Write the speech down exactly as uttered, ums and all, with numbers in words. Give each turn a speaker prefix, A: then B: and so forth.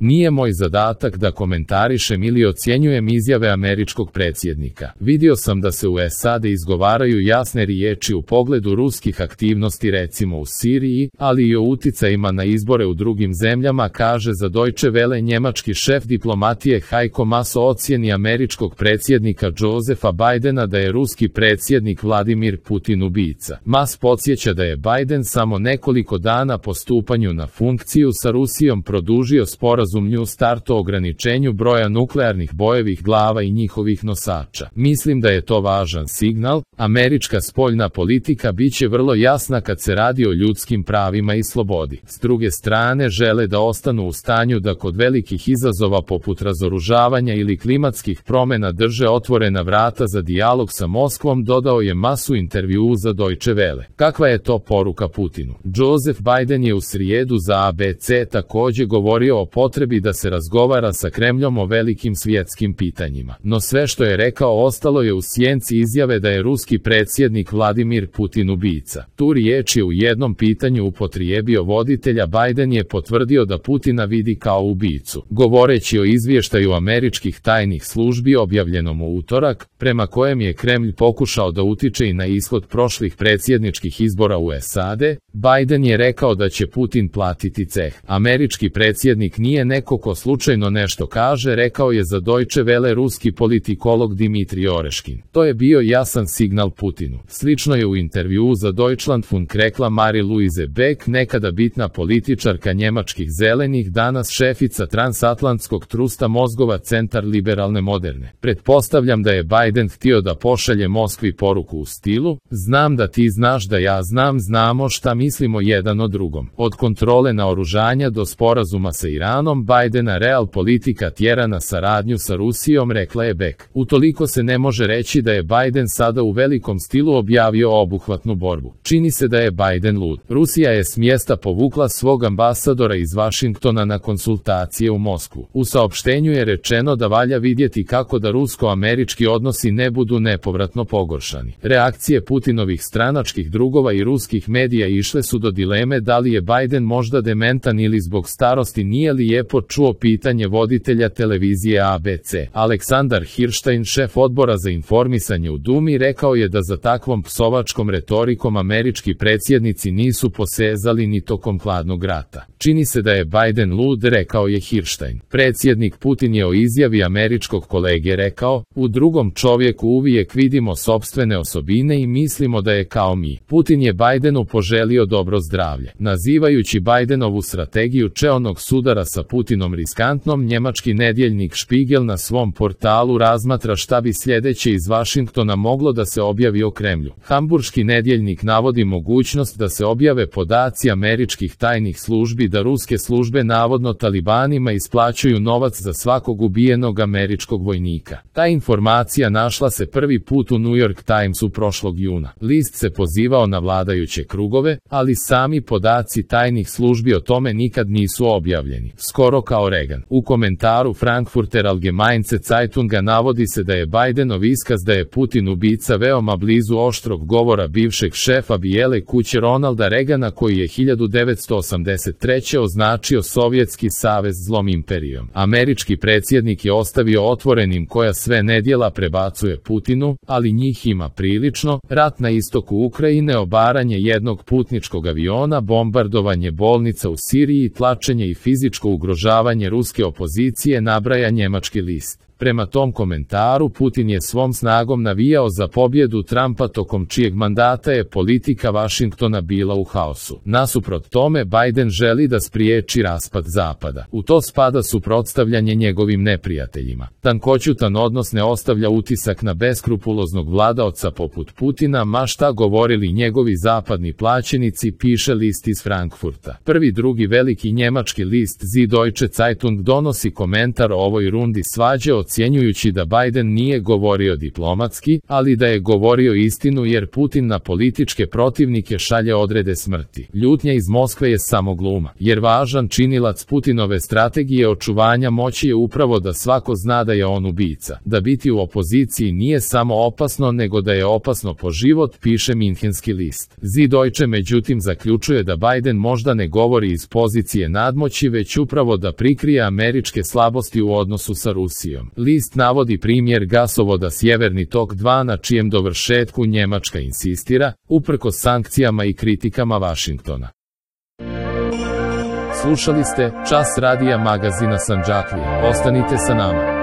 A: Nije moj zadatak da komentarišem ili ocjenjujem izjave američkog predsjednika. Vidio sam da se u S A D izgovaraju jasne riječi u pogledu ruskih aktivnosti recimo u Siriji, ali i o uticajima na izbore u drugim zemljama, kaže za Deutsche Welle njemački šef diplomatije Heiko Maas o ocjeni američkog predsjednika Josepha Bidena da je ruski predsjednik Vladimir Putin ubica. Maas podsjeća da je Biden samo nekoliko dana po stupanju na funkciju sa Rusijom produžio sporazum New START o ograničenju broja nuklearnih bojevih glava i njihovih nosača. Mislim da je to važan signal. Američka spoljna politika biće vrlo jasna kad se radi o ljudskim pravima i slobodi. S druge strane žele da ostanu u stanju da kod velikih izazova poput razoružavanja ili klimatskih promjena drže otvorena vrata za dijalog sa Moskvom, dodao je Maas u intervjuu za Deutsche Welle. Kakva je to poruka Putinu? Joseph Biden je u srijedu za A B C također govorio o potrebi da se razgovara sa Kremljom o velikim svjetskim pitanjima. No sve što je rekao ostalo je u sjenci izjave da je ruski predsjednik Vladimir Putin ubica. Tu riječ je u jednom pitanju upotrijebio voditelja. Biden je potvrdio da Putina vidi kao ubicu. Govoreći o izvještaju američkih tajnih službi objavljenom u utorak, prema kojem je Kremlj pokušao da utiče i na ishod prošlih predsjedničkih izbora u S A D, Biden je rekao da će Putin platiti ceh. Američki predsjednik nije neko ko slučajno nešto kaže, rekao je za Deutsche Welle ruski politikolog Dmitrij Oreškin. To je bio jasan signal Putinu. Slično je u intervjuu za Deutschlandfunk rekla Marie-Louise Beck, nekada bitna političarka njemačkih zelenih, danas šefica transatlantskog trusta mozgova Centar liberalne moderne. Pretpostavljam da je Biden htio da pošalje Moskvi poruku u stilu: znam da ti znaš da ja znam, znamo šta mislimo jedan o drugom. Od kontrole naoružanja do sporazuma sa Iranom, Bidena real politika tjera na saradnju sa Rusijom, rekla je Beck. Utoliko se ne može reći da je Biden sada u velikom stilu objavio obuhvatnu borbu. Čini se da je Biden lud. Rusija je s mjesta povukla svog ambasadora iz Vašingtona na konsultacije u Moskvu. U saopštenju je rečeno da valja vidjeti kako da rusko-američki odnosi ne budu nepovratno pogoršani. Reakcije Putinovih stranačkih drugova i ruskih medija išle su do dileme da li je Biden možda dementan ili zbog starosti. Nije lijepo čuo pitanje voditelja televizije A B C. Aleksandar Hirštajn, šef odbora za informisanje u Dumi, rekao je da za takvom psovačkom retorikom američki predsjednici nisu posezali ni tokom hladnog rata. Čini se da je Biden lud, rekao je Hirštajn. Predsjednik Putin je o izjavi američkog kolege rekao: u drugom čovjeku uvijek vidimo sopstvene osobine i mislimo da je kao mi. Putin je Bidenu poželio dobro zdravlje. Nazivajući Bidenovu strategiju čeonog sudara sa Putinom riskantnom, njemački nedjeljnik Spiegel na svom portalu razmatra šta bi sljedeće iz Vašingtona moglo da se objavi o Kremlju. Hamburški nedjeljnik navodi mogućnost da se objave podaci američkih tajnih službi da ruske službe navodno talibanima isplaćuju novac za svakog ubijenog američkog vojnika. Ta informacija našla se prvi put u New York Timesu prošlog juna. List se pozivao na vladajuće krugove, ali sami podaci tajnih službi o tome nikad nisu objavljeni. Skoro kao Reagan. U komentaru Frankfurter Allgemeine Zeitunga navodi se da je Bidenov iskaz da je Putin ubica veoma blizu oštrog govora bivšeg šefa Bijele kuće Ronalda Reagana, koji je hiljadu devetsto osamdeset treće označio Sovjetski savez zlom imperijom. Američki predsjednik je ostavio otvorenim koja sve nedjela prebacuje Putinu, ali njih ima prilično: rat na istoku Ukrajine, obaranje jednog putničkog aviona, bombardovanje bolnica u Siriji, tlačenje i fizičko ugrožavanje ruske opozicije, nabraja njemački list. Prema tom komentaru, Putin je svom snagom navijao za pobjedu Trumpa, tokom čijeg mandata je politika Vašingtona bila u haosu. Nasuprot tome, Biden želi da spriječi raspad Zapada. U to spada suprotstavljanje njegovim neprijateljima. Tankoćutan odnos ne ostavlja utisak na beskrupuloznog vladaoca poput Putina, ma šta govorili njegovi zapadni plaćenici, piše list iz Frankfurta. Prvi drugi veliki njemački list Die Deutsche Zeitung donosi komentar o ovoj rundi svađe od ocjenjujući da Biden nije govorio diplomatski, ali da je govorio istinu jer Putin na političke protivnike šalje odrede smrti. Ljutnja iz Moskve je samo gluma, jer važan činilac Putinove strategije očuvanja moći je upravo da svako zna da je on ubica. Da biti u opoziciji nije samo opasno, nego da je opasno po život, piše Minhenski list. Die Deutsche međutim zaključuje da Biden možda ne govori iz pozicije nadmoći, već upravo da prikrije američke slabosti u odnosu sa Rusijom. List navodi primjer gasovoda Sjeverni tok dva na čijem dovršetku Njemačka insistira, uprkos sankcijama i kritikama Vašingtona. Slušali ste Čas radija magazina Sandžaklija. Ostanite sa nama.